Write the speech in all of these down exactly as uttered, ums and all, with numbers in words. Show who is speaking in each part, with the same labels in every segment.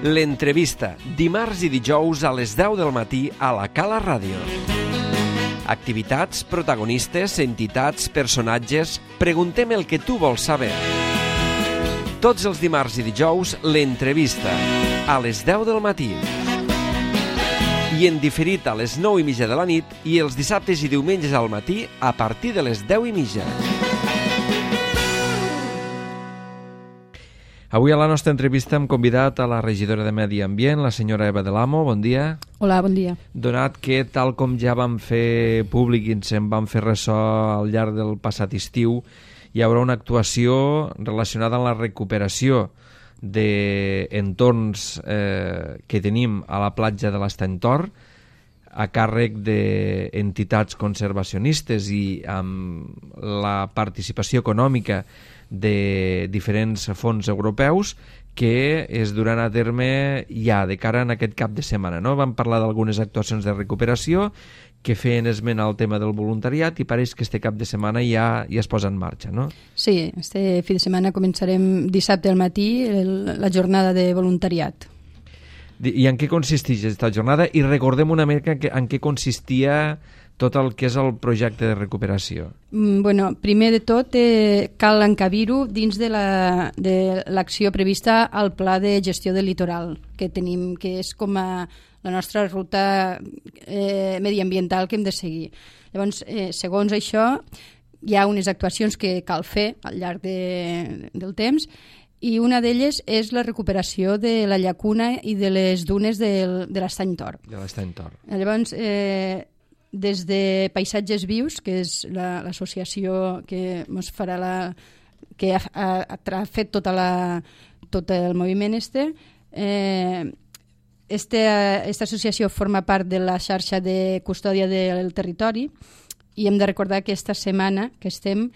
Speaker 1: L'entrevista, dimarts i dijous a les deu del matí a la Cala Ràdio. Activitats, protagonistes, entitats, personatges... Preguntem el que tu vols saber. Tots els dimarts i dijous, l'entrevista, a les deu del matí. I en diferit a les nou i mitja de la nit i els dissabtes i diumenges al matí a partir de les deu i mitja. Avui a la nostra entrevista hem convidat a la regidora de Medi Ambient, la senyora Eva de l'Amo. Bon dia.
Speaker 2: Hola, bon dia.
Speaker 1: Donat que, tal com ja vam fer públic i ens en vam fer ressò al llarg del passat estiu, hi haurà una actuació relacionada amb la recuperació d'entorns eh, que tenim a la platja de l'Estany Tor, a càrrec d'entitats conservacionistes i amb la participació econòmica de diferents fons europeus que es duran a terme ja de cara en aquest cap de setmana, no? Vam parlar d'algunes actuacions de recuperació que feien esment al tema del voluntariat i pareix que este cap de setmana ja, ja es posa en marxa, no?
Speaker 2: Sí, este fi de setmana començarem dissabte al matí el, la jornada de voluntariat.
Speaker 1: I en què consisteix aquesta jornada? I recordem una mica en què consistia tot el que és el projecte de recuperació.
Speaker 2: Mm, bueno, primer de tot eh, cal encabir-ho dins de la, de l'acció prevista al Pla de Gestió del Litoral que tenim, que és com a la nostra ruta eh, mediambiental que hem de seguir. Llavors, eh, segons això, hi ha unes actuacions que cal fer al llarg de, del temps i una d'elles és la recuperació de la llacuna i de les dunes del, de l'Estany Tor.
Speaker 1: De l'Estany Tor.
Speaker 2: Llavors, eh, des de Paisatges Vius, que és la, l'associació que ens farà la, que ha, ha, ha fet tota la, tot el moviment este, eh, este, esta associació forma part de la xarxa de custòdia del territori i hem de recordar que esta setmana que estem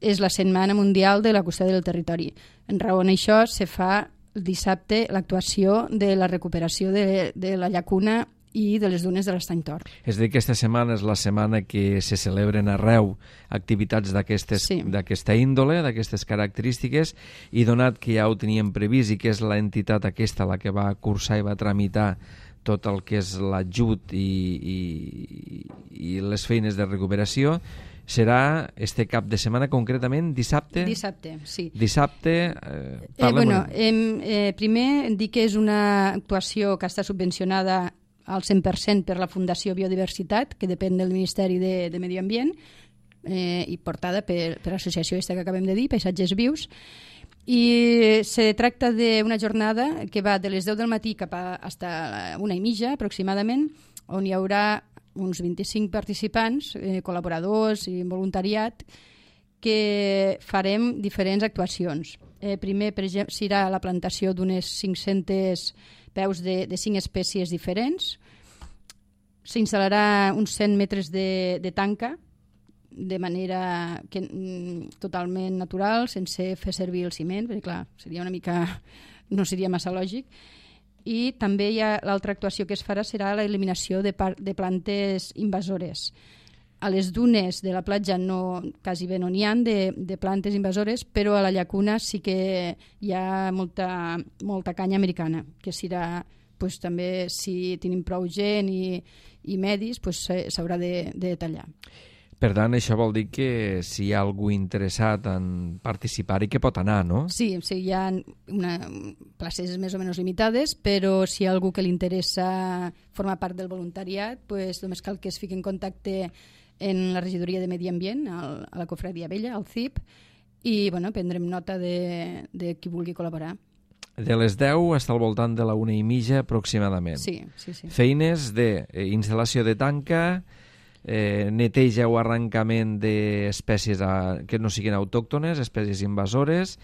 Speaker 2: és la Setmana Mundial de la Custòdia del Territori. En raó d'això se fa el dissabte l'actuació de la recuperació de, de la llacuna i de les dunes de l'Estany Tor.
Speaker 1: És a dir, que aquesta setmana és la setmana que se celebren arreu activitats d'aquestes,
Speaker 2: sí.
Speaker 1: d'aquesta índole, d'aquestes característiques, i donat que ja ho teníem previst i que és l'entitat aquesta la que va cursar i va tramitar tot el que és l'ajut i, i, i les feines de recuperació, serà este cap de setmana, concretament dissabte?
Speaker 2: Dissabte, sí.
Speaker 1: Dissabte, eh,
Speaker 2: eh, bueno, em, eh, primer dic que és una actuació que està subvencionada al cent per cent per la Fundació Biodiversitat, que depèn del Ministeri de, de Medi Ambient, eh, i portada per, per l'associació aquesta que acabem de dir, Paisatges Vius, i se tracta d'una jornada que va de les deu del matí cap a hasta una i mitja aproximadament, on hi haurà uns vint-i-cinc participants, eh, col·laboradors i voluntariat, que farem diferents actuacions. Eh, primer, per exemple, serà la plantació d'unes cinc-centes peus de, de cinc espècies diferents. S'instal·larà uns cent metres de, de tanca, de manera que, mm, totalment natural, sense fer servir el ciment, perquè clar, seria una mica, no seria massa lògic. I també hi ha l'altra actuació que es farà serà l'eliminació de, par- de plantes invasores. A les dunes de la platja no, quasi bé no n'hi ha de, de plantes invasores, però a la llacuna sí que hi ha molta, molta canya americana, que serà, pues, també, si tenim prou gent i, i medis, pues, s'haurà de, de tallar.
Speaker 1: Per tant, això vol dir que si hi ha algú interessat en participar-hi, que pot anar, no?
Speaker 2: Sí, sí, hi ha una, places més o menys limitades, però si hi ha algú que li interessa formar part del voluntariat, pues, només cal que es fiqui en contacte en la regidoria de Medi Ambient, al, a la Cofradia Vella, al C I P, i bueno, prendrem nota de, de qui vulgui col·laborar.
Speaker 1: De les deu està al voltant de la una i mitja aproximadament.
Speaker 2: Sí, sí, sí.
Speaker 1: Feines d'instal·lació de tanca, eh, neteja o arrencament d'espècies a, que no siguin autòctones, espècies invasores,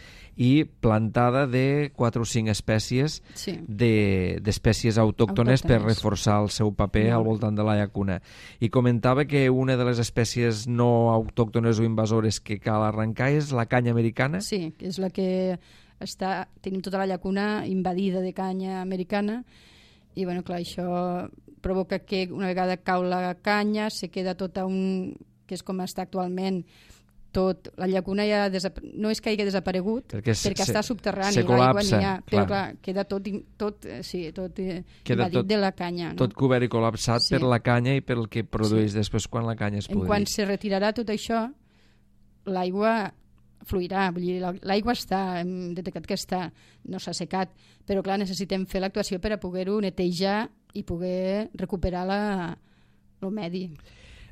Speaker 1: i plantada de quatre o cinc espècies
Speaker 2: sí.
Speaker 1: de, d'espècies autòctones, autòctones per reforçar el seu paper no. al voltant de la llacuna. I comentava que una de les espècies no autòctones o invasores que cal arrencar és la canya americana.
Speaker 2: Sí, que és la que està, tenim tota la llacuna invadida de canya americana i bueno, clar, això provoca que una vegada cau la canya se queda tota un, que és com està actualment, tot, la llacuna ja desap... no és que hagi desaparegut, perquè,
Speaker 1: se,
Speaker 2: perquè està subterrani,
Speaker 1: se col·lapsa,
Speaker 2: l'aigua n'hi ha, però
Speaker 1: clar.
Speaker 2: clar, queda tot, tot, sí, tot
Speaker 1: queda
Speaker 2: invadit
Speaker 1: tot,
Speaker 2: de la canya. No?
Speaker 1: Tot cobert i col·lapsat sí. per la canya i pel que produeix sí. després quan la canya es pudri.
Speaker 2: En quan se retirarà tot això, l'aigua fluirà, vull dir, l'aigua està, hem detectat que està, no s'ha secat, però clar, necessitem fer l'actuació per a poder-ho netejar i poder recuperar la, el medi.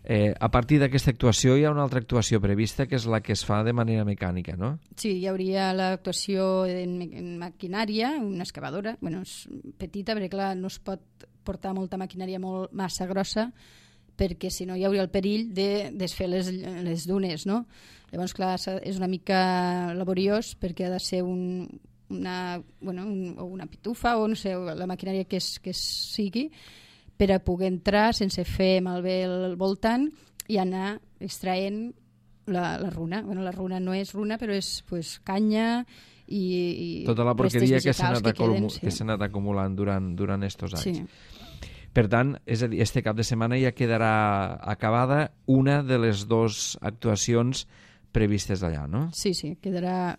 Speaker 1: Eh, a partir d'aquesta actuació hi ha una altra actuació prevista que és la que es fa de manera mecànica, no?
Speaker 2: Sí, hi hauria l'actuació en, en maquinària, una excavadora, bueno, és petita perquè clar, no es pot portar molta maquinària molt massa grossa perquè si no hi hauria el perill de desfer les, les dunes, no? Llavors, clar, és una mica laboriós perquè ha de ser un, una, bueno, un, o una pitufa o no sé, la maquinària que, és, que sigui, per a poder entrar sense fer malbé el voltant i anar extraient la, la runa. Bueno, la runa no és runa, però és pues, canya i, i
Speaker 1: tota la porqueria que s'ha anat,
Speaker 2: queden,
Speaker 1: sí. anat acumulant durant, durant estos anys.
Speaker 2: Sí.
Speaker 1: Per tant, és a dir, este cap de setmana ja quedarà acabada una de les dues actuacions previstes allà, no?
Speaker 2: Sí, sí, quedarà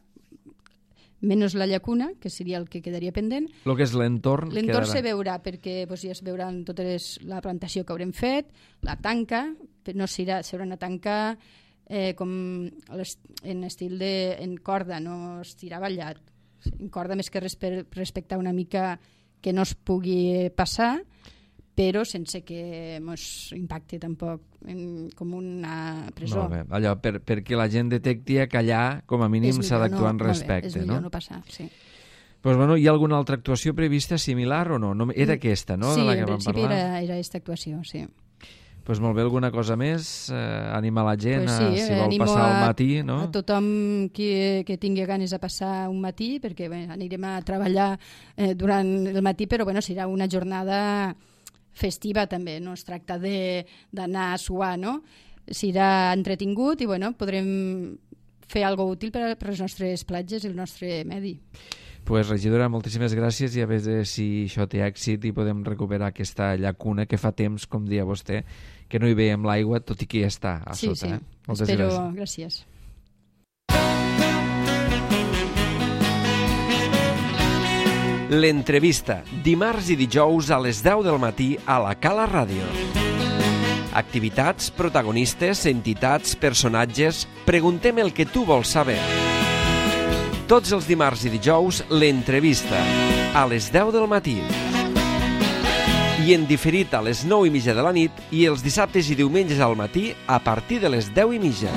Speaker 2: menys la llacuna, que seria el que quedaria pendent.
Speaker 1: El que és l'entorn
Speaker 2: L'entorn
Speaker 1: quedarà...
Speaker 2: se veurà, perquè doncs, ja es veuran tota les, la plantació que haurem fet, la tanca, no s'haurà a tancar eh, com en estil de en corda, no estirar ballat. En corda més que res per respectar una mica que no es pugui passar, però sense que ens impacti tampoc en, com una presó.
Speaker 1: Molt bé. Allò, per, perquè la gent detecti que allà, com a mínim, s'ha d'actuar en respecte.
Speaker 2: És millor
Speaker 1: no,
Speaker 2: no passar, sí.
Speaker 1: Pues, bueno, hi ha alguna altra actuació prevista similar o no? no era aquesta, no?
Speaker 2: Sí,
Speaker 1: de la que
Speaker 2: en
Speaker 1: vam
Speaker 2: principi
Speaker 1: parlar?
Speaker 2: era, era aquesta actuació, sí.
Speaker 1: Pues molt bé, alguna cosa més? Eh, anima la gent
Speaker 2: pues sí,
Speaker 1: a, si vol passar
Speaker 2: a,
Speaker 1: el matí, no?
Speaker 2: A tothom que, que tingui ganes de passar un matí, perquè bé, anirem a treballar eh, durant el matí, però bueno, serà una jornada festiva també, no es tracta d'anar a suar, no? Serà entretingut i bueno, podrem fer alguna útil per, per les nostres platges i el nostre medi.
Speaker 1: Pues, regidora, moltíssimes gràcies i a veure si això té èxit i podem recuperar aquesta llacuna que fa temps, com dia vostè, que no hi veiem l'aigua, tot i que ja està a
Speaker 2: sí,
Speaker 1: sota.
Speaker 2: Sí,
Speaker 1: eh? Moltes
Speaker 2: espero,
Speaker 1: gràcies.
Speaker 2: gràcies.
Speaker 3: L'entrevista, dimarts i dijous a les deu del matí a la Cala Ràdio. Activitats, protagonistes, entitats, personatges... Preguntem el que tu vols saber. Tots els dimarts i dijous, l'entrevista, a les deu del matí. I en diferit a les nou i mitja de la nit i els dissabtes i diumenges al matí a partir de les deu i mitja.